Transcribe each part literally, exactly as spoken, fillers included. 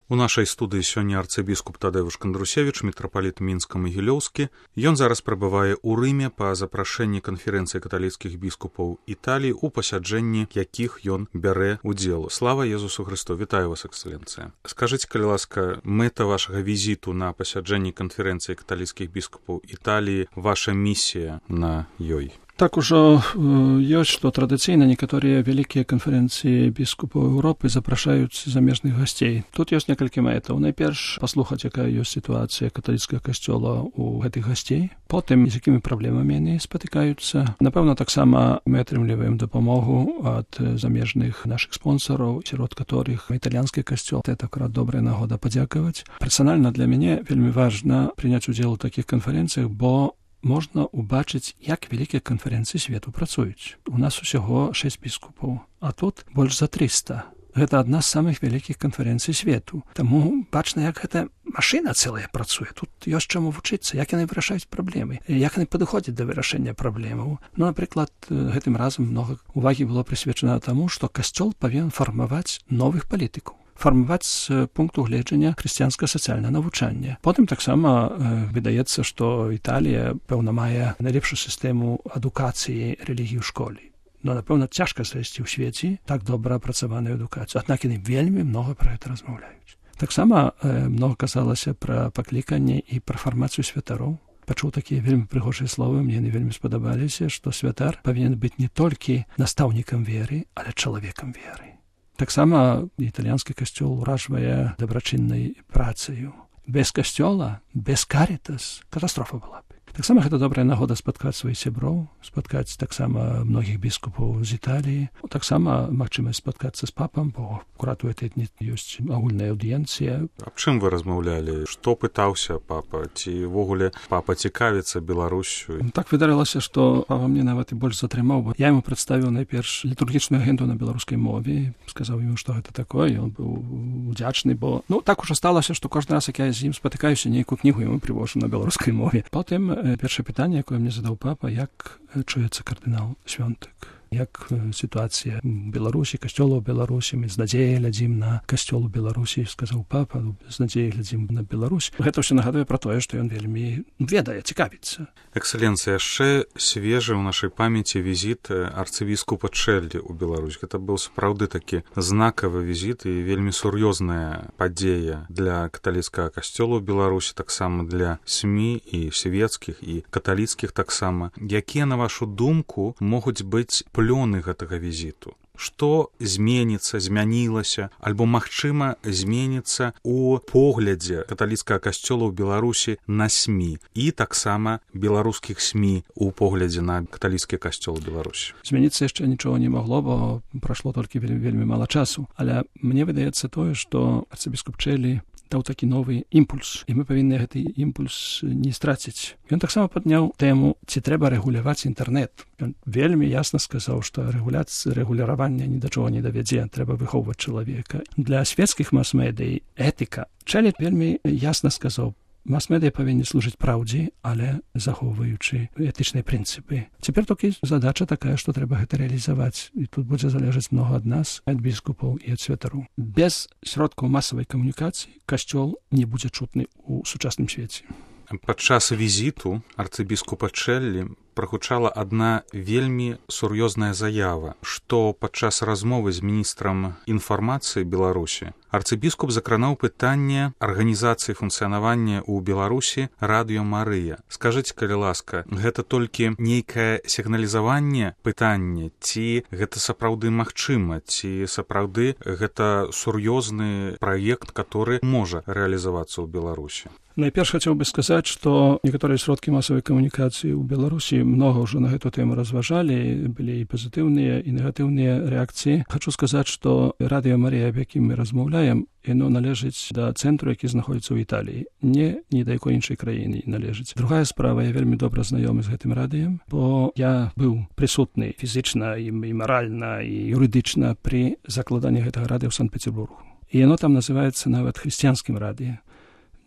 У нашай студыі сёння арцыбіскуп Тадэвуш Кандрусевіч, мітрапаліт Мінска-Магілёўскі. Ён зараз прабывае ў Рыме па запрашэнні канферэнцыі каталіцкіх біскупаў Італіі, у пасяджэнні якіх ён бярэ удзел. Слава Езусу Хрысту! Вітаю вас, эксцэленцыя. Скажыце, калі ласка, мэта вашага візіту на пасяджэнні канферэнцыі каталіцкіх біскупаў Італіі, ваша місія на ёй? Так ужо ёсць, што традыцыйна некаторыя вялікія канферэнцыі біскупаў Еўропы запрашаюць замежных гасцей. Тут ёсць некалькі мэтаў. Найперш паслухаць, якая ёсць сітуацыя каталіцкага касцёла ў гэтых гасцей. Потым, з якімі праблемамі яны спатыкаюцца. Напэўна, таксама мы атрымліваем дапамогу ад замежных нашых спонсараў, сярод которых італьянскі касцёл. Это акрат добрая нагода падзякаваць. Персанальна для мяне вельмі важна прыняць удзел у такіх канферэнцыях, бо можна ўбачыць, як вялікія канферэнцыі свету працуюць. У нас усяго шэсць біскупаў, а тут больш за трыста. Гэта адна з самых вялікіх канферэнцый свету. Таму бачна, як гэта машына цэлая працуе. Тут ёсць чаму вучыцца, як яны вырашаюць праблемы, як яны падыходзяць да вырашэння праблемаў. Ну, напрыклад, гэтым разам многа увагі было прысвечана таму, што касцёл павінен фармаваць новых палітыкаў. Фармаваць з пункту гледжання хрысціянскае сацыяльнае навучанне. Потым таксама э, выдаецца, што Італія, пэўна, мае найлепшую сістэму адукацыі рэлігіі ў школе. Но, напэўна, цяжка знайсці ў свеце так добра апрацаваную адукацыю. Аднак яны вельмі многа пра гэта размаўляюць. Таксама э, многа казалася пра пакліканне і пра фармацыю святароў. Пачуў такія вельмі прыгожыя словы, мне яны вельмі спадабаліся, што святар павінен быць не толькі настаўнікам веры, але чалавекам веры. Таксама італьянскі касцёл уражвае дабрачыннай працаю. Без касцёла, без карітас катастрофа была б. Таксама гэта добрая нагода спаткаць сваіх сяброў, спаткаць таксама многіх біскупаў з Італіі. Таксама магчымасць спаткацца з папам, бо акурат у гэтай дні ёсць агульная аўдыенцыя. Аб чым вы размаўлялі? Што пытаўся папа? Ці ўвогуле папа цікавіцца Беларусю? Так выдарылася, што папа мне нават і больш затрымаў, бо я яму прадставіў найперш літургічную агенту на беларускай мове, сказаў яму, што гэта такое, ён быў удзячны, бо ну так ужо сталася, што кожны раз, як я з ім спатыкаюся, нейкую кнігу яму прывожу на беларускай мове. Потым першае пытанне, якое мне задаў папа, як чуецца кардынал Свёнтык, як сітуацыя ў Беларусі, касцёла ў Беларусі, мы з надзеяй глядзім на касцёл у Беларусі, сказаў папа, з надзеяй глядзім на Беларусь. Гэта ўсё нагадвае пра тое, што ён вельмі ведае, цікавіцца. Эксцэленцыя, яшчэ свежы ў нашай памяці візіт арцыбіскупа Чэллі ў Беларусь. Гэта быў сапраўды такі знакавы візіт і вельмі сур'ёзная падзея для каталіцкага касцёла ў Беларусі, таксама для СМІ і свецкіх, і каталіцкіх таксама. Якія, на вашу думку, могуць быць плёны гэтага візіту? Што зменіцца, змянілася, альбо, магчыма, зменіцца ў поглядзе каталіцкага касцёла ў Беларусі на СМІ і таксама беларускіх СМІ ў поглядзе на каталіцкі касцёл у Беларусі? Змяніцца яшчэ нічога не магло, бо прайшло толькі вельмі, вельмі мала часу. Але мне выдаецца тое, што арцыбіскуп Чэллі даў такі новы імпульс, і мы павінны гэты імпульс не страціць. Ён таксама падняў тэму, ці трэба рэгуляваць інтэрнэт. Ён вельмі ясна сказаў, што рэгуляцыя, рэгулявання ні да чого не давядзе, трэба выхоўваць чалавека. Для свецкіх мас-медый этыка. Чэллі вельмі ясна сказаў, мас-медыя павінны служыць праўдзе, але захоўваючы этычныя прынцыпы. Цяпер толькі задача такая, што трэба гэта рэалізаваць. І тут будзе залежаць многа ад нас, ад біскупаў і ад святароў. Без сродкаў масавай камунікацыі касцёл не будзе чутны ў сучасным свеце. Падчас візіту арцыбіскупа Чэллі прагучала адна вельмі сур'ёзная заява, што падчас размовы з міністрам інфармацыі Беларусі арцыбіскуп закранаў пытанне арганізацыі функцыянавання ў Беларусі радыё Марыя. Скажыце, калі ласка, гэта толькі нейкае сігналізаванне пытання, ці гэта сапраўды магчыма, ці сапраўды гэта сур'ёзны праект, который можа рэалізавацца ў Беларусі? Найперш хацеў бы сказаць, што некаторыя сродкі масавай камунікацыі ў Беларусі многа ўжо на гэту тэму разважалі, былі і пазітыўныя, і негатыўныя рэакцыі. Хачу сказаць, што радыё Марія, аб якім мы размаўляем, яно належыць да цэнтру, які знаходзіцца ў Італіі. Не ні да якой іншай краіны належыць. Другая справа, я вельмі добра знаёмы з гэтым радыем, бо я быў прысутны фізічна і маральна і юрыдычна пры закладанні гэтага радыё ў Санкт-Петербургу. І яно там называецца нават хрысціянскім радыё.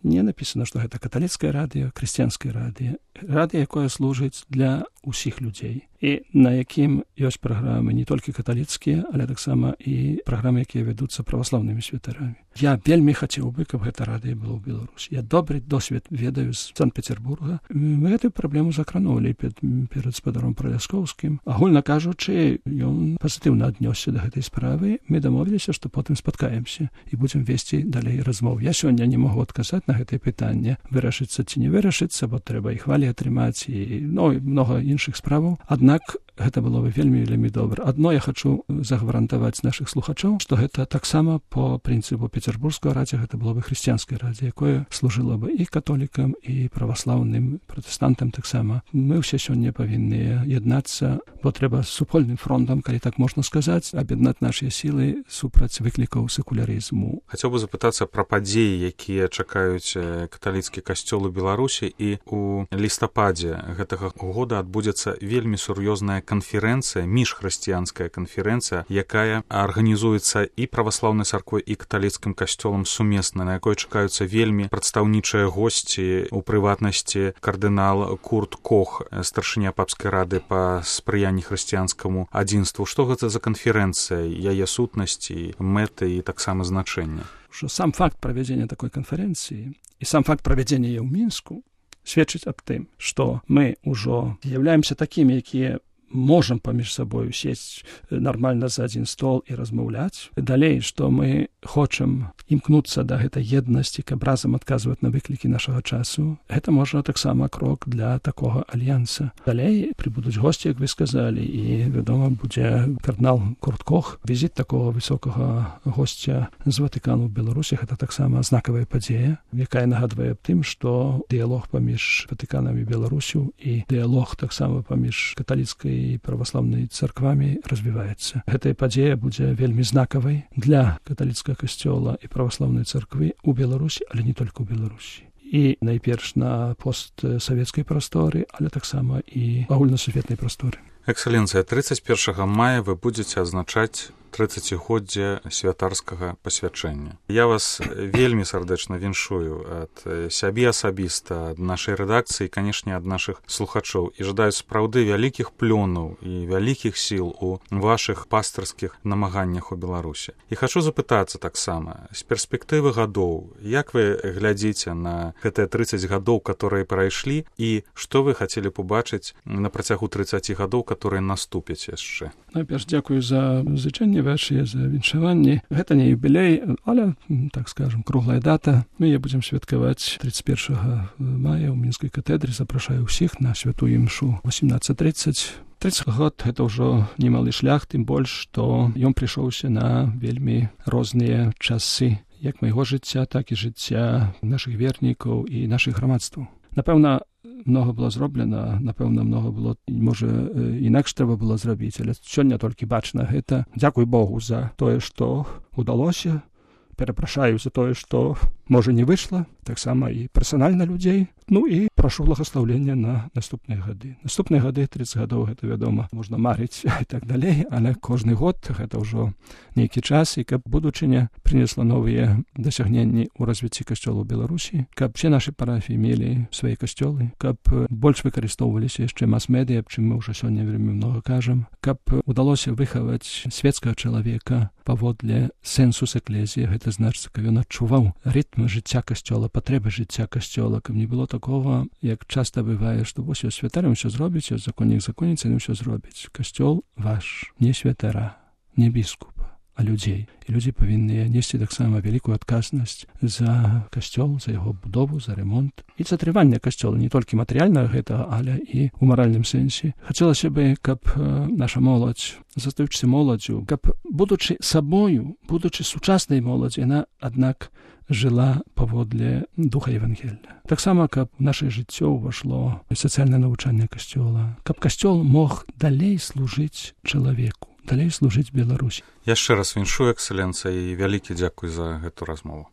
Не написано, што гэта каталіцкае радыё, хрысціянскае радыё. Радыё, якое служыць для усіх людзей, і на якім ёсць праграмы не толькі каталіцкія, але таксама і праграмы, якія вядуцца праваслаўнымі святарамі. Я вельмі хацеў бы, каб гэта радыё было ў Беларусі. Я добры досвед ведаю з Санкт-Петербурга. Мы гэтую праблему закранулі перад, перад спадаром Праляскоўскім. Агульна кажучы, ён пазітыўна аднёсся да гэтай справы. Мы дамовіліся, што потым спаткаемся і будзем весці далей размоў. Я сёння не магу адказаць на гэтае пытанне, вырашыцца ці не вырашыцца, бо трэба і хвалі атрымаць, і, ну, і многа іншых справаў. Аднак гэта было бы вельмі вельмі добра. Адно я хачу загарантаваць нашых слухачоў, што гэта таксама по прынцыпу Петербургскага радзіо, гэта было бы хрысціянскае радзіо, якое служыла бы і католікам, і праваслаўным, пратэстантам таксама. Мы ўсе сёння павінны яднацца, бо трэба супольным фронтам, калі так можна сказаць, аб'яднаць нашыя сілы супраць выклікаў секулярызму. Хацеў бы запытацца пра падзеі, якія чакаюць каталіцкі касцёл у Беларусі, і у лістападзе гэтага года адбудзецца вельмі сур'ёзная канферэнцыя, міжхрысціянская канферэнцыя, якая арганізуецца і праваслаўнай царквой, і каталіцкім касцёлам сумесна, на якой чакаюцца вельмі прадстаўнічыя госці, у прыватнасці кардынал Курт Кох, старшыня папскай рады па спрыянні хрысціянскаму адзінству. Што гэта за канферэнцыя, яе сутнасці, мэты і таксама значэнне? Што сам факт правядзення такой канферэнцыі і сам факт правядзення яе ў Мінску сведчыць аб тым, што мы ўжо з'яўляемся такімі, якія можам паміж сабою сесть нармальна за адзін стол і размаўляць. Далей, што мы хочам імкнуцца да гэтай еднасці, каб разам адказваць на выклікі нашага часу, гэта можа таксама крок для такога альянса. Далей прыбудуць госці, як вы сказалі, і, вядома, будзе кардынал Курт Кох. Візіт такога высокага госця з Ватыкану ў Беларусі, гэта таксама знакавая падзея, якая нагадвае аб тым, што дыялог паміж Ватыканам і Беларусю і дыялог таксама паміж каталіцкай і праваслаўнай царквамі развіваецца. Гэтая падзея будзе вельмі знакавай для каталіцкага касцёла і праваслаўнай царквы ў Беларусі, але не толькі ў Беларусі. І найперш на постсавецкай прасторы, але таксама і агульнасусветнай прасторы. Экселенцыя, тридцать первого мая вы будзеце адзначаць тридцатігоддзе святарскага пасвячэння. Я вас вельмі сардэчна віншую ад сябе асабіста, ад нашай рэдакцыі, канешне, ад нашых слухачоў, і жадаю сапраўды вялікіх плёнаў і вялікіх сіл у вашых пастырскіх намаганнях у Беларусі. І хачу запытацца таксама, з перспектывы гадоў, як вы глядзіце на гэтыя тридцать гадоў, которые прайшлі, і што вы хацелі побачыць на працягу тридцати гадоў, которые наступяць яшчэ? Найперш, дзякую за зычэнне вашыя, за віншаванні. Гэта не юбілей, але, так скажем, круглая дата. Мы яе будзем святкаваць тридцать первого мая ў Мінскай катэдры. Запрашаю ўсіх на святую імшу восемнадцать тридцать. тридцать год — гэта ўжо немалы шлях, тым больш, што ён прыйшоўся на вельмі розныя часы, як майго жыцця, так і жыцця нашых вернікаў і нашых грамадстваў. Напэўна, многа было зроблена, напэўна, многа было, можа, інакш трэба было зрабіць, але сёння толькі бачна гэта. Дзякуй Богу за тое, што удалося. Перапрашаю за тое, што, можа, не выйшла, таксама і персанальна людзей. Ну і прашу благаслаўлення на наступныя гады. Наступныя гады, тридцать гадоў, гэта, вядома, можна марыць і так далей, але кожны год гэта ўжо нейкі час, і каб будучыня прынесла новыя дасягненні ў развіцці касцёла ў Беларусі, каб все нашы парафіі мелі свае касцёлы, каб больш выкарыстоўваліся яшчэ мас-медыя, аб чым мы ўжо сёння вельмі многа кажам, каб удалося выхаваць свецкага чалавека паводле сэнсус эклезіі, гэта значыць, каб ён адчуваў рытм жыцця касцёла, патрэбы жыцця касцёла, каб не было такого, як часта бывае, што вось ёсць святар, ён усё зробіць, ёсць законнік, законніца, ён усё зробіць. Касцёл ваш, не святара, не біскупа, а людзей. І людзі павінны несці таксама вялікую адказнасць за касцёл, за яго будову, за ремонт і за трыванне касцёла, не толькі матэрыяльнага гэтага, але і ў маральным сэнсе. Хацелася бы, каб наша моладзь, застаючыся моладзю, каб, будучы сабою, будучы сучаснай моладзі, яна, аднак, жыла паводле духа Евангелля. Таксама, каб наше жыццё ўвайшло сацыяльнае навучанне касцёла, каб касцёл мог далей служыць чалавеку, далей служыць Беларусі. Яшчэ раз віншую, экселенцыя, і вялікі дзякуй за гэту размову.